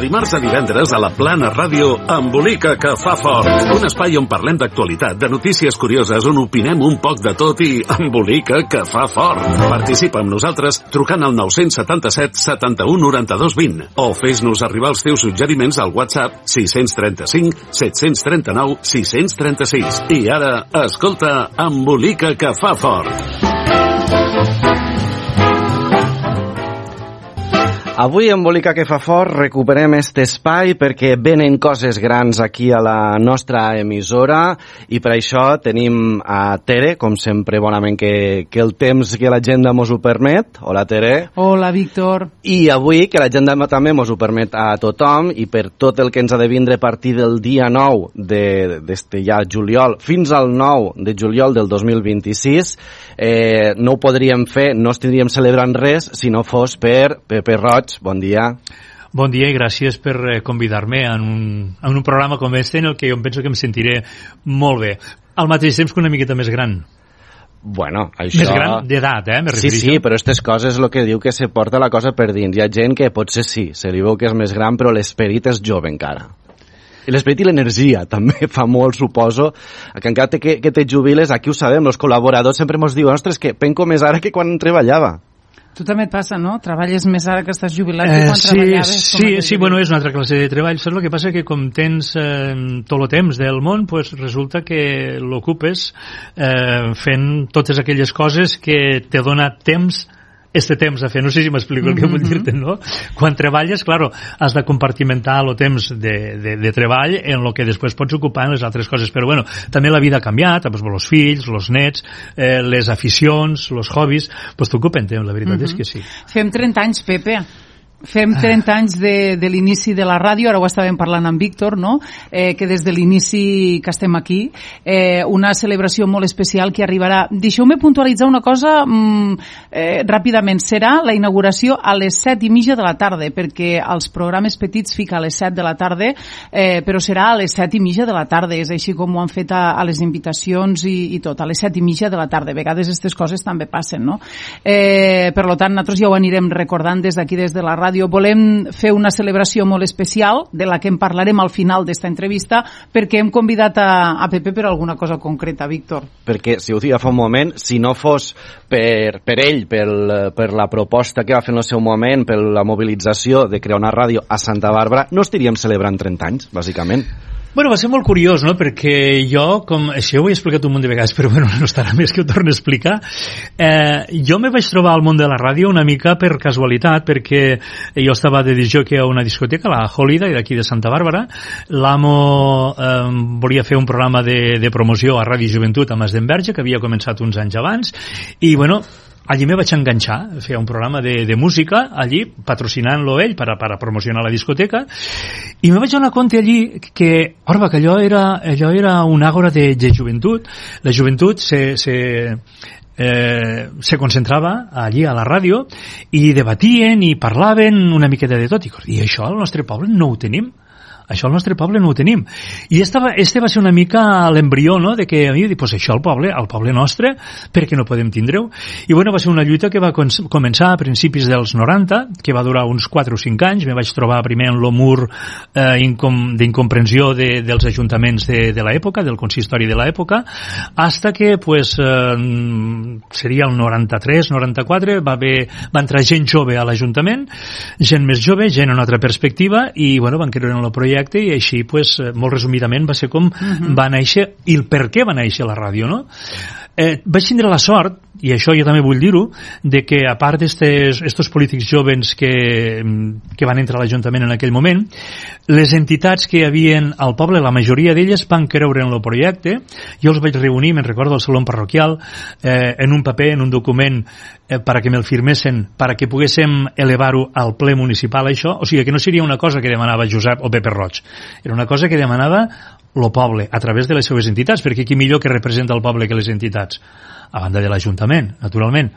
dimarts a divendres a la Plana Ràdio, Embolica que fa fort. Un espai on parlem d'actualitat, de notícies curioses, on opinem un poc de tot i embolica que fa fort. Participa amb nosaltres trucant al 977 71 92 20 o fes-nos arribar els teus suggeriments al WhatsApp 635 739 636. I ara, escolta, Embolica que fa fort. Avui, Embolica que fa fort, recuperem aquest espai perquè venen coses grans aquí a la nostra emissora i per això tenim a Tere, com sempre, bonament que el temps, que l'agenda mos ho permet. Hola, Tere. Hola, Víctor. I avui, que l'agenda també mos ho permet a tothom i per tot el que ens ha de vindre a partir del dia 9 d'este ja juliol fins al 9 de juliol del 2026, no ho podríem fer, no estaríem celebrant res si no fos per Pepe Roig. Bon dia. Bon dia i gràcies per convidar-me en un programa com este en el que jo penso que em sentiré molt bé. Al mateix temps que una miqueta més gran. Bueno, això... Més gran d'edat, me refereixo. Sí, però aquestes coses el que diu que se porta la cosa per dins. Hi ha gent que potser sí, se li veu que és més gran, però l'esperit és jove encara. I l'esperit i l'energia també fa molt, suposo, que encara que te jubiles, aquí ho sabem, els col·laboradors sempre ens diuen, ostres, que penco més ara que quan treballava. Tu també et passa, no? Treballes més ara que estàs jubilat que quan treballaves. Sí, bueno, és una altra classe de treball. Saps el que passa? Que com tens tot el temps del món, pues resulta que l'ocupes fent totes aquelles coses que te dona temps temps a fer, no sé si m'explico el que vull dir-te, no? Quan treballes, claro, has de compartimentar el temps de treball en el que després pots ocupar en les altres coses, però bueno, també la vida ha canviat, doncs els fills, els nets, les aficions, els hobbies, doncs t'ocupen temps, la veritat és que sí. Fem 30 anys, Pepe. Fem 30 anys de l'inici de la ràdio, ara ho estàvem parlant amb Víctor, no? Que des de l'inici que estem aquí, una celebració molt especial que arribarà. Deixeu-me puntualitzar una cosa ràpidament. Serà la inauguració a les 7:30 de la tarda, perquè els programes petits fica a les 7 de la tarda, però serà a les 7:30 de la tarda, és així com ho han fet a les invitacions i tot, a les 7:30 de la tarda. A vegades aquestes coses també passen, no? Per tant, nosaltres ja ho anirem recordant des d'aquí, des de la ràdio. Volem fer una celebració molt especial, de la que en parlarem al final d'esta entrevista, perquè hem convidat a Pepe per alguna cosa concreta, Víctor. Perquè, si ho deia fa un moment, si no fos per ell, per la proposta que va fer en el seu moment, per la mobilització de crear una ràdio a Santa Bàrbara, no estaríem celebrant 30 anys, bàsicament. Bueno, va ser molt curiós, no?, perquè jo, això ho he explicat un munt de vegades, però bueno, no estarà més que ho torno a explicar. Jo me vaig trobar al món de la ràdio una mica per casualitat, perquè jo estava de discjòquei a una discoteca, la Holiday, d'aquí de Santa Bàrbara. L'amo volia fer un programa de promoció a Ràdio Joventut a Mas d'Enverge, que havia començat uns anys abans, i bueno, allí me vaig enganxar, feia un programa de música allí, patrocinant-lo ell per a promocionar la discoteca, i me vaig donar compte allí que allò era un àgora de joventut. La joventut se concentrava allí a la ràdio i debatien i parlaven una miqueta de tot, i això al nostre poble no ho tenim. Això al nostre poble no ho tenim. I este va ser una mica l'embrió, no?, de que a mi, pues això al poble nostre, perquè no podem tindre-ho. I bueno, va ser una lluita que va començar a principis dels 90, que va durar uns 4 o 5 anys. Me vaig trobar primer en l'omur d'incomprensió dels ajuntaments de l'època, del consistori de l'època, hasta que, pues, seria el 93, 94, va entrar gent jove a l'Ajuntament, gent més jove, gent en una altra perspectiva, i bueno, van creure en el projecte, i així, pues, molt resumidament, va ser com va néixer i el per què va néixer la ràdio, no? Vaig tindre la sort, i això jo també vull dir-ho, de que a part d'estos polítics joves que van entrar a l'Ajuntament en aquell moment, les entitats que hi havia al poble, la majoria d'elles van creure en el projecte. Jo els vaig reunir, me'n recordo, al saló parroquial, en un paper, en un document, para que me'l firmessin, para que poguéssim elevar-ho al ple municipal, això. O sigui, que no seria una cosa que demanava Josep o Pepe Roig, era una cosa que demanava el poble, a través de les seves entitats, perquè qui millor que representa el poble que les entitats? A banda de l'Ajuntament, naturalment,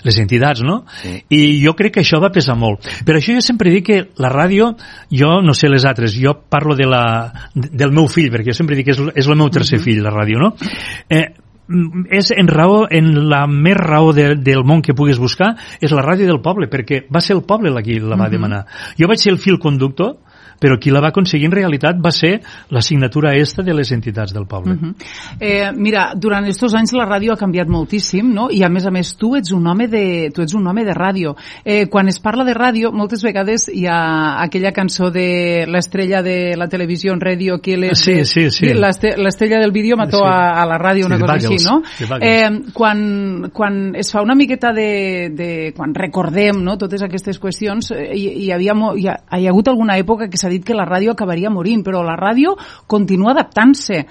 les entitats, no? Sí. I jo crec que això va pesar molt. Per això jo sempre dic que la ràdio, jo no sé les altres, jo parlo del meu fill, perquè jo sempre dic que és el meu tercer fill, la ràdio, no? És en la més raó del món que puguis buscar, és la ràdio del poble, perquè va ser el poble qui la va demanar. Jo vaig ser el fil conductor, però qui la va aconseguir en realitat va ser la signatura esta de les entitats del poble. Mira, durant estos anys la ràdio ha canviat moltíssim, no? I a més tu ets un home de ràdio. Quan es parla de ràdio, moltes vegades hi ha aquella cançó de l'estrella de la televisió en ràdio que sí. l'estrella del vídeo mató a la ràdio, una cosa així, no? Quan es fa una miqueta quan recordem, no, totes aquestes qüestions, hi ha hagut alguna època que s'ha dit que la ràdio acabaria morint, però la ràdio continua adaptant-se.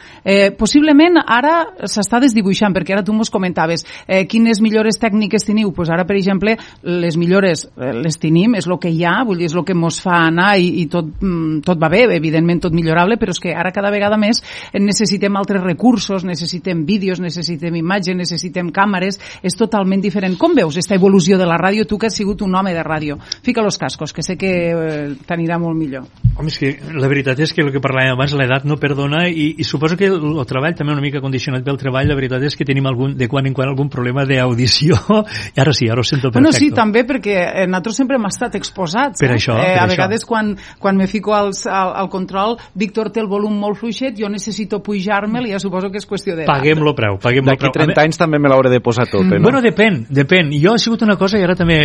Possiblement ara s'està desdibuixant, perquè ara tu mos comentaves quines millores tècniques teniu. Pues ara, per exemple, les millores les tenim, és el que hi ha, vull dir, és el que mos fa anar i tot va bé, evidentment tot millorable, però és que ara cada vegada més necessitem altres recursos, necessitem vídeos, necessitem imatges, necessitem càmeres, és totalment diferent. Com veus aquesta evolució de la ràdio, tu que has sigut un home de ràdio? Fica los cascos, que sé que t'anirà molt millor. Home, és que la veritat és que el que parlàvem abans, l'edat no perdona, i suposo que el treball també una mica condicionat pel treball, la veritat és que tenim de quan en quan algun problema d'audició, i ara sí, ara ho sento perfecte. Bueno, sí, també, perquè nosaltres sempre hem estat exposats. Per això, a vegades quan me fico al control, Víctor té el volum molt fluixet, jo necessito pujar-me'l i ja suposo que és qüestió d'edat. Paguem-lo preu. D'aquí 30 anys també me l'hauré de posar tot, no? Bueno, depèn. Jo ha sigut una cosa, i ara també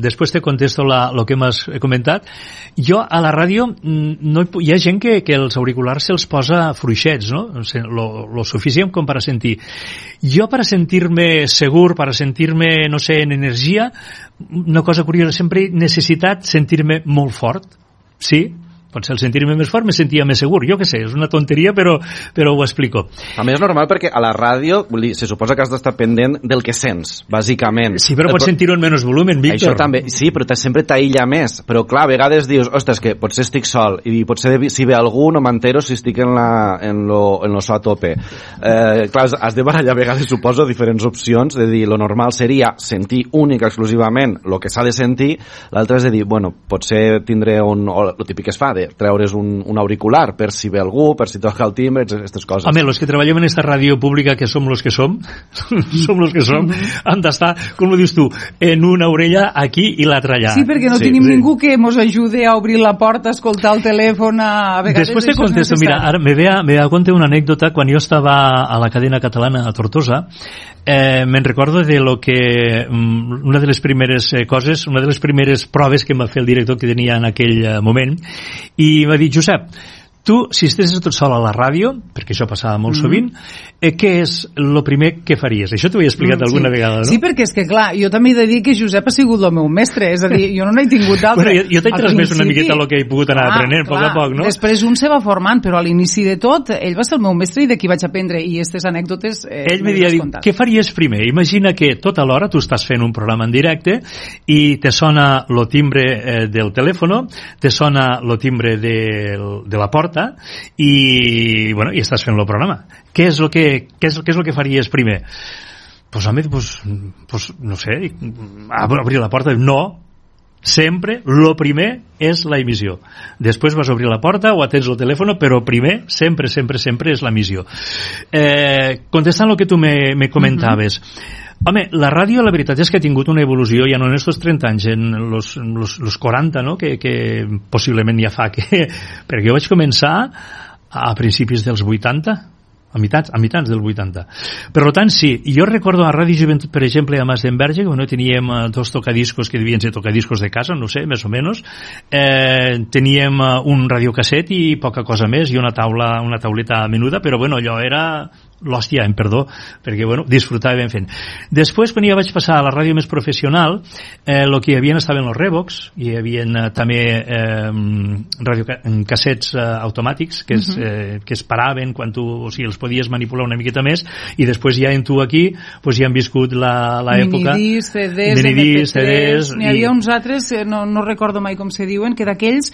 després te contesto el que m'has comentat. Jo a la ràdio hi ha gent que els auriculars se'ls posa fluixets, no? Lo suficient com per a sentir. Jo per a sentir-me segur, per a sentir-me, no sé, en energia, una cosa curiosa, sempre he necessitat sentir-me molt fort, sí? Potser al sentir-me més fort me sentia més segur, jo què sé, és una tonteria, però ho explico. A més és normal perquè a la ràdio se suposa que has d'estar pendent del que sents, bàsicament. Sí, però pots sentir-ho en menys volum, Víctor. Això també, sí, però sempre t'aïlla més. Però clar, a vegades dius, ostres, que potser estic sol, i potser si ve algú no m'entero si estic en lo so a tope. Clar, has de barallar a vegades, suposo, diferents opcions, de dir, lo normal seria sentir única exclusivament el que s'ha de sentir, l'altre és de dir, bueno, potser tindré lo típic que es fa, de treure's un auricular per si ve algú, per si toca el timbre, aquestes coses. Home, los que treballem en esta ràdio pública, que som los que som, han d'estar, com ho dius tu, en una orella aquí i l'altra allà. Sí, perquè no tenim ningú que mos ajude a obrir la porta, a escoltar el telèfon, a vegades... Després te contesto, mira, ara me ve a compte una anècdota. Quan jo estava a la cadena catalana a Tortosa, me'n recordo de lo que una de les primeres coses, una de les primeres proves que em va fer el director que tenia en aquell moment, i va dir, Josep, tu, si estiguessis tot sol a la ràdio, perquè això passava molt sovint, què és el primer que faries? Això t'ho he explicat alguna vegada, no? Sí, perquè és que, clar, jo també he de dir que Josep ha sigut el meu mestre, és a dir, jo no n'he tingut d'altre. Bueno, jo t'he transmès una miqueta el que he pogut anar aprenent, a poc a poc, no? Després un se va formant, però a l'inici de tot, ell va ser el meu mestre i d'aquí vaig aprendre, i aquestes anècdotes... Ell m'havia dit, què faries primer? Imagina que tota l'hora tu estàs fent un programa en directe i te sona lo timbre del telèfon, te sona lo timbre de la porta, i estàs fent el programa. Què és el que faries primer? Pues home, no sé, obrir la porta. No, sempre lo primer és la emissió. Després vas obrir la porta o atens el telèfon, però primer sempre és l'emissió. Contestant el que tu me comentaves, home, la ràdio la veritat és que ha tingut una evolució ja no en estos 30 anys, en los 40, no? que possiblement ja fa que... perquè jo vaig començar a principis dels 80, a mitjans del 80. Per tant, sí, jo recordo a Ràdio Joventut, per exemple, a Mas d'Enverge, que teníem dos tocadiscos que devien ser tocadiscos de casa, no sé, més o menys, teníem un radiocasset i poca cosa més, i una tauleta menuda, però allò era... l'hòstia, em perdó, perquè disfrutava ben fent. Després, quan ja vaig passar a la ràdio més professional, el que hi havia estaven els Revox, hi havia també cassets automàtics que es paraven quan tu, o sigui, els podies manipular una miqueta més, i després ja en tu aquí ja han viscut l'època minidiscs, CDs, MP3, n'hi havia uns altres, no recordo mai com se diuen, que d'aquells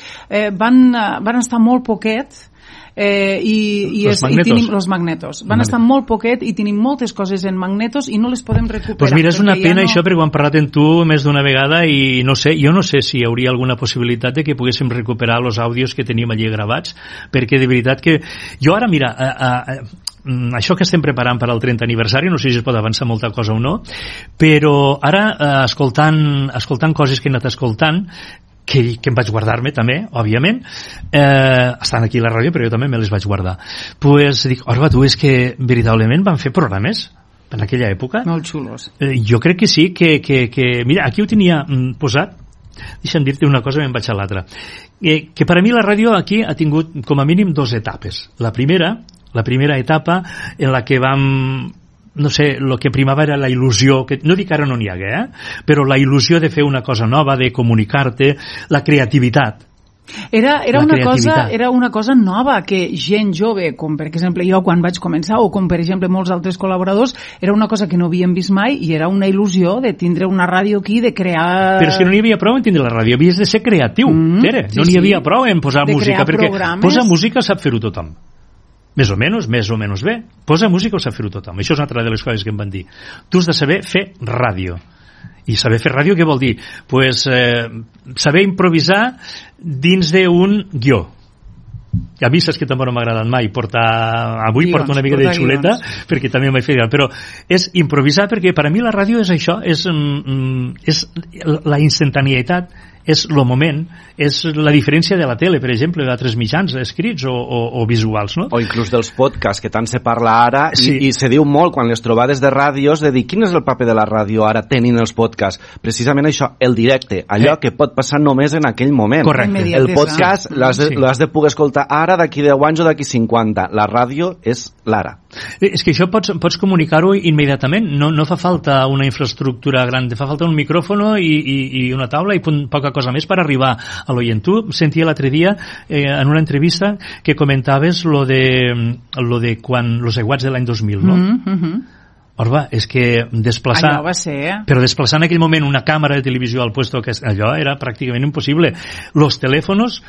van estar molt poquet, i tenim los magnetos. Van estar molt poquet i tenim moltes coses en magnetos i no les podem recuperar. Pues mira, és una pena això, perquè ho hem parlat amb tu més d'una vegada i jo no sé si hi hauria alguna possibilitat de que poguéssim recuperar els àudios que tenim allí gravats, perquè de veritat que jo ara, mira, això que estem preparant per al 30 aniversari, no sé si es pot avançar molta cosa o no, però ara escoltant coses que he anat escoltant, que em vaig guardar-me també, òbviament, estan aquí a la ràdio, però jo també me les vaig guardar. Pues dic, Orba, tu, és que veritablement van fer programes en aquella època. Molt xulos. Jo crec que sí, que mira, aquí ho tenia posat, deixa'm dir-te una cosa, me'n vaig a l'altra. Que per a mi la ràdio aquí ha tingut com a mínim 2 etapes. La primera etapa en la que vam, no sé, el que primava era la il·lusió, que no dic que ara no n'hi hagué, però la il·lusió de fer una cosa nova, de comunicar-te, la creativitat. Era una cosa nova que gent jove, com per exemple jo quan vaig començar, o com per exemple molts altres col·laboradors, era una cosa que no havíem vist mai i era una il·lusió de tindre una ràdio aquí, de crear... Però és que no n'hi havia prou en tindre la ràdio, havies de ser creatiu, Tere. No n'hi havia prou en posar música, perquè programes. Posar música sap fer-ho tothom. Més o menys bé. Posar música ho sap fer-ho tothom. Això és una altra de les coses que em van dir. Tu has de saber fer ràdio. I saber fer ràdio què vol dir? Pues saber improvisar dins d'un guió. A mi saps que tampoc no m'ha agradat mai avui porto una mica de xuleta perquè també m'he fet, però és improvisar, perquè per a mi la ràdio és això, és la instantaneïtat, és el moment, és la diferència de la tele, per exemple, d'altres mitjans escrits o visuals, no? O inclús dels podcasts, que tant se parla ara, sí. i se diu molt quan les trobades de ràdios, de dir, quin és el paper de la ràdio ara tenint els podcasts? Precisament això, el directe, allò que pot passar només en aquell moment. Correcte. El podcast l'has de poder escoltar ara, d'aquí 10 anys o d'aquí 50. La ràdio és l'ara. És que això pots comunicar-ho immediatament, no fa falta una infraestructura gran, fa falta un micròfon i una taula i poca cosa més per arribar a l'oient. Tu sentia l'altre dia en una entrevista que comentaves lo de quan los aiguats de l'any 2000, no? Orba, és que desplaçar... Allò va ser, Però desplaçar en aquell moment una càmera de televisió al puesto que allò era pràcticament impossible. Los telèfons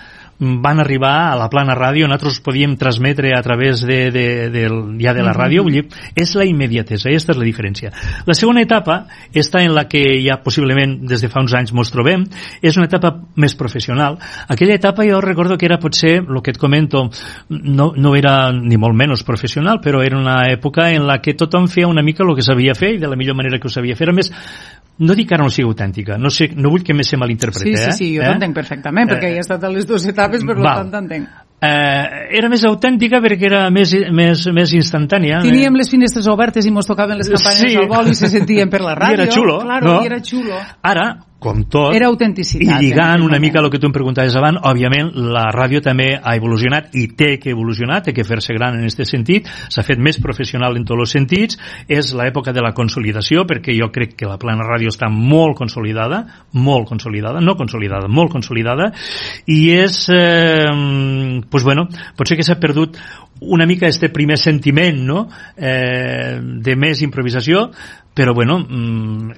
van arribar a la plana ràdio, nosaltres podíem transmetre a través de la ràdio, vull dir, és la immediatesa, aquesta és la diferència. La segona etapa, esta en la que ja possiblement des de fa uns anys mos trobem, és una etapa més professional. Aquella etapa jo recordo que era potser, el que et comento, no era ni molt menys professional, però era una època en la que tothom feia una mica el que sabia fer i de la millor manera que ho sabia fer. A més, no dic que ara no sigui autèntica, no vull que més se malinterpreti. Sí, jo t'entenc perfectament, perquè he estat a les 2 etapes, per tant t'entenc. Era més autèntica perquè era més instantània. Teníem les finestres obertes i mos tocaven les campanyes al vol i se sentien per la ràdio. I era xulo, claro, i era xulo. Ara, com tot, era autenticitat, i lligant una mica el que tu em preguntaves abans, òbviament la ràdio també ha evolucionat i té que evolucionar, té que fer-se gran en aquest sentit, s'ha fet més professional en tots els sentits, és l'època de la consolidació, perquè jo crec que la plana ràdio està molt consolidada, molt consolidada, i és pues bueno, potser que s'ha perdut una mica este primer sentiment, no? De més improvisació, però bueno,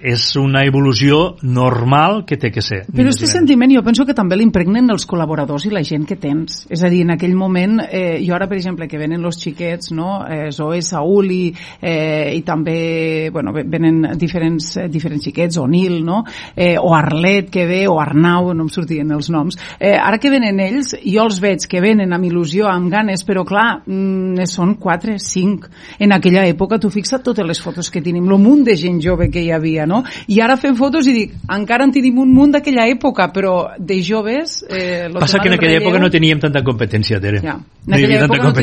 és una evolució normal que té que ser. Però aquest sentiment jo penso que també l'impregnen els col·laboradors i la gent que tens. És a dir, en aquell moment, jo ara, per exemple, que venen els xiquets, no? Zoe, Saúl i també, bueno, venen diferents xiquets, o Nil, no? O Arlet que ve, o Arnau, no em sortien els noms. Ara que venen ells, jo els veig que venen amb il·lusió, amb ganes, però clar, són 4, 5. En aquella època, tu fixa't totes les fotos que tenim, el munt de gent jove que hi havia, no? I ara fem fotos i dic, encara en tenim un munt d'aquella època, però de joves... Passa que en aquella època no teníem tanta competència, Tere. Ja. En aquella època no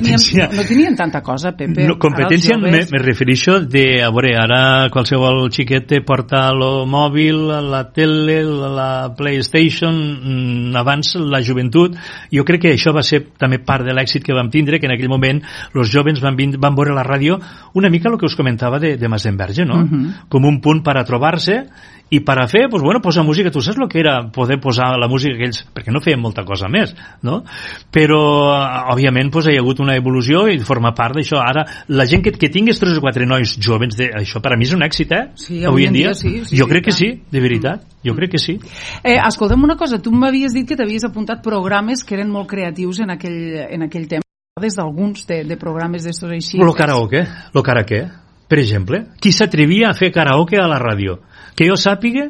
teníem tanta cosa, Pepe. No, competència me refereixo de, a veure, ara qualsevol xiquet te porta el mòbil, la tele, la PlayStation, abans la joventut. Jo crec que això va ser també part de l'èxit que vam tindre, que en aquell moment els joves van veure la ràdio una mica el que us comentava de Masenberge, no? Com un punt per a trobar-se i per a fer, pues bueno, posar música. Tu saps el que era poder posar la música que ells, perquè no feien molta cosa més, no? Però òbviament pues, hi ha hagut una evolució i forma part d'això. Ara, la gent que tingués 3 o 4 nois jovens, això per a mi és un èxit, Sí, avui en dia. Sí, jo crec que sí, de veritat. Jo crec que sí. Escolta'm una cosa, tu m'havies dit que t'havies apuntat programes que eren molt creatius en aquell tema. Des d'alguns de programes d'estos així. Lo karaoke, per exemple. Qui s'atrevia a fer karaoke a la ràdio? Que jo sàpiga,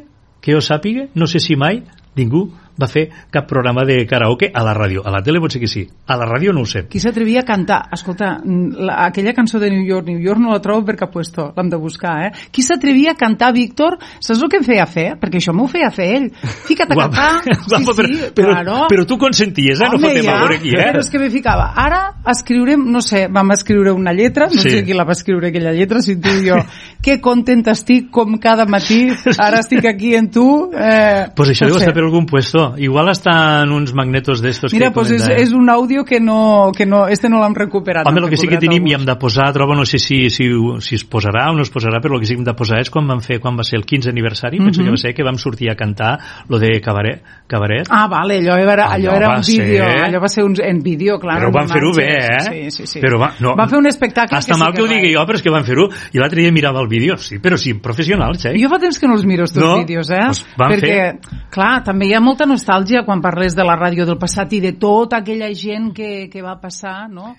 no sé si mai, ningú, va fer cap programa de karaoke a la ràdio. A la tele potser que sí, a la ràdio no ho sé. Qui s'atrevia a cantar? Escolta, aquella cançó de New York no la trobo per cap puesto, l'hem de buscar, Qui s'atrevia a cantar, Víctor? Saps el que em feia fer? Perquè això m'ho feia fer ell. Fica't a cantar. Però tu consenties, no fotem a veure aquí, Però és que me ficava. Ara escriurem, no sé, vam escriure una lletra, no sé qui la va escriure aquella lletra, si tu i jo. Que content estic, com cada matí, ara estic aquí en tu. Pues això deu estar per algun puesto. Igual està en uns magnetos d'estos. Mira, pues és un àudio que no, este no l'hem recuperat. Home, el que sí que tenim i hem de posar, trobo, no sé si es posarà o no es posarà, però el que sí que hem de posar és quan va ser el 15 aniversari, penso que va ser que vam sortir a cantar lo de Cabaret. Ah, vale, allò era un vídeo, allò va ser en vídeo, clar. Però van fer-ho bé, Sí. Però van fer un espectacle hasta mal que ho digui jo, però és que van fer-ho, i l'altre dia mirava el vídeo, sí, però sí, professionals, Jo fa temps que no els miro, els teus vídeos, Pues perquè, clar, també hi ha molta nostàlgia quan parles de la ràdio del passat i de tota aquella gent que va passar, no?